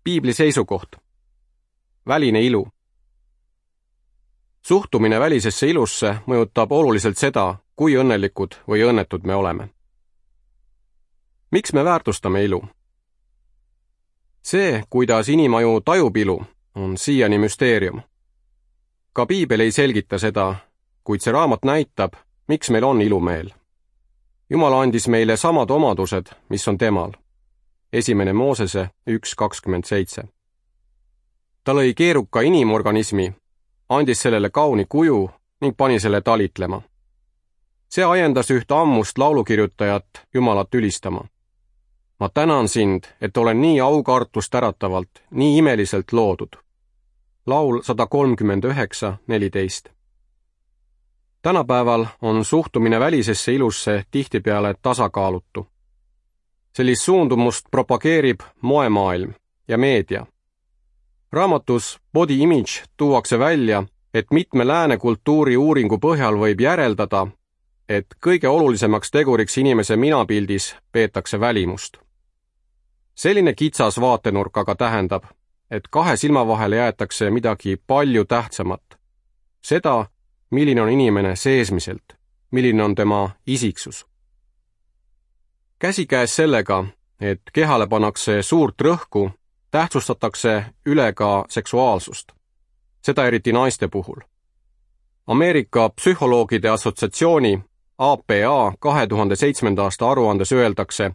Piibli seisukoht. Väline ilu. Suhtumine välisesse ilusse mõjutab oluliselt seda, kui õnnelikud või õnnetud me oleme. Miks me väärtustame ilu? See, kuidas inimaju tajub ilu, on siiani müsteerium. Ka Piibel ei selgita seda, kuid see raamat näitab, miks meil on ilumeel. Jumal andis meile samad omadused, mis on temal. 1. Moosese 1.27. Ta lõi keeruka inimorganismi, andis sellele kauni kuju ning pani selle talitlema. See ajendas ühte ammust laulukirjutajat Jumalat ülistama. Ma tänan sind, et olen nii aukartust äratavalt, nii imeliselt loodud. Laul 139.14. Tänapäeval on suhtumine välisesse ilusse tihtipeale tasakaalutu. Sellist suundumust propageerib moemaailm ja meedia. Raamatus Body Image tuuakse välja, et mitme lääne kultuuri uuringu põhjal võib järeldada, et kõige olulisemaks teguriks inimese minapildis peetakse välimust. Selline kitsas vaatenurk aga tähendab, et kahe silma vahele jäetakse midagi palju tähtsamat. Seda, milline on inimene seesmiselt, milline on tema isiksus. Käsikäes sellega, et kehale pannakse suurt rõhku, tähtsustatakse üle ka seksuaalsust. Seda eriti naiste puhul. Ameerika Psühholoogide Assotsiatsiooni APA 2007. aasta aruandes öeldakse,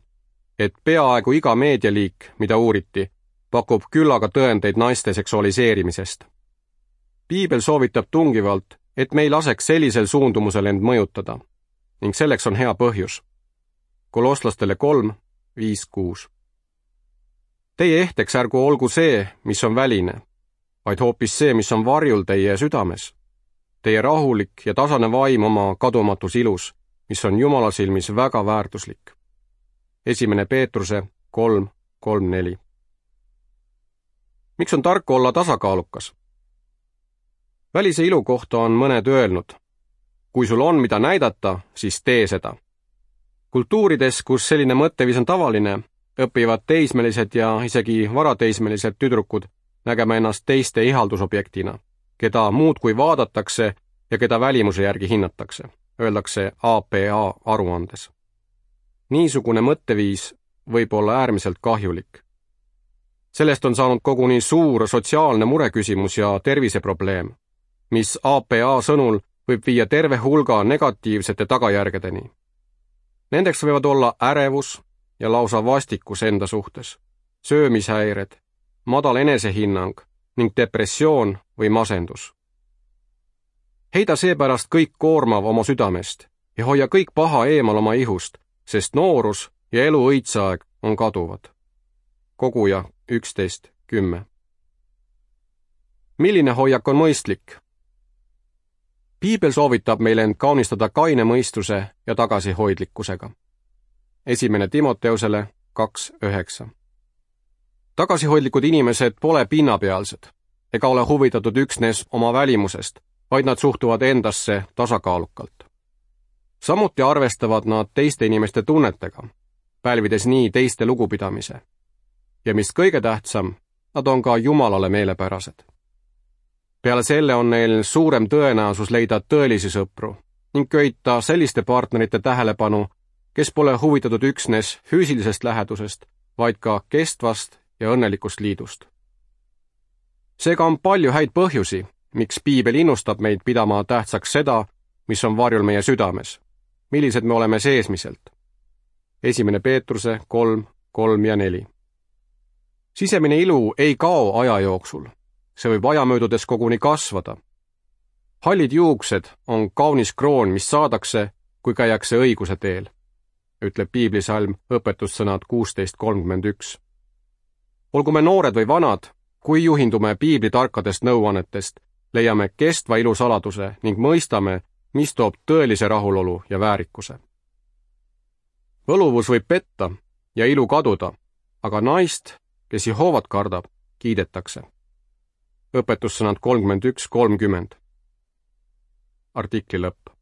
et peaaegu iga meedialiik, mida uuriti, pakub küllaga tõendeid naiste seksualiseerimisest. Piibel soovitab tungivalt, et me ei laseks sellisel suundumusel end mõjutada, ning selleks on hea põhjus. Kolosslastele 3.5.6. Teie ehteks ärgu olgu see, mis on väline, vaid hoopis see, mis on varjul teie südames. Teie rahulik ja tasane vaim oma kadumatus ilus, mis on Jumala silmis väga väärtuslik. 1. Peetruse 3.3.4. Miks on tark olla tasakaalukas? Välise ilu kohta on mõned öelnud, kui sul on mida näidata, siis tee seda. Kultuurides, kus selline mõtteviis on tavaline, õpivad teismelised ja isegi varateismelised tüdrukud nägema ennast teiste ihaldusobjektina, keda muudkui vaadatakse ja keda välimuse järgi hinnatakse, öeldakse APA aruandes. Niisugune mõtteviis võib olla äärmiselt kahjulik. Sellest on saanud koguni suur sotsiaalne mureküsimus ja terviseprobleem, mis APA sõnul võib viia terve hulga negatiivsete tagajärgedeni. Nendeks võivad olla ärevus ja lausa vastikus enda suhtes, söömishäired, madal enesehinnang ning depressioon või masendus. Heida seepärast kõik koormav oma südamest ja hoia kõik paha eemal oma ihust, sest noorus ja elu õitseaeg on kaduvad. Koguja 11.10. Milline hoiak on mõistlik? Piibel soovitab meil end kaunistada kaine mõistuse ja tagasihoidlikkusega. 1. Timoteusele 2.9. Tagasihoidlikud inimesed pole pinnapealsed ega ole huvitatud üksnes oma välimusest, vaid nad suhtuvad endasse tasakaalukalt. Samuti arvestavad nad teiste inimeste tunnetega, pälvides nii teiste lugupidamise. Ja mis kõige tähtsam, nad on ka Jumalale meelepärased. Peale selle on neil suurem tõenäosus leida tõelisi sõpru ning köita selliste partnerite tähelepanu, kes pole huvitatud üksnes füüsilisest lähedusest, vaid ka kestvast ja õnnelikust liidust. Seega on palju häid põhjusi, miks Piibel innustab meid pidama tähtsaks seda, mis on varjul meie südames, millised me oleme seesmiselt. 1. Peetruse 3.3 ja 4. Sisemine ilu ei kao aja jooksul. See võib aja möödudes koguni kasvada. Hallid juuksed on kaunis kroon, mis saadakse, kui käiakse õiguse teel, ütleb piiblisalm õpetussõnad 16.31. Olgu me noored või vanad, kui juhindume piibli tarkadest nõuannetest, leiame kestva ilu saladuse ning mõistame, mis toob tõelise rahulolu ja väärikuse. Võluvus võib petta ja ilu kaduda, aga naist, kes Jehoovat kardab, kiidetakse. Õpetussõnad 31.30. Artikli lõpp.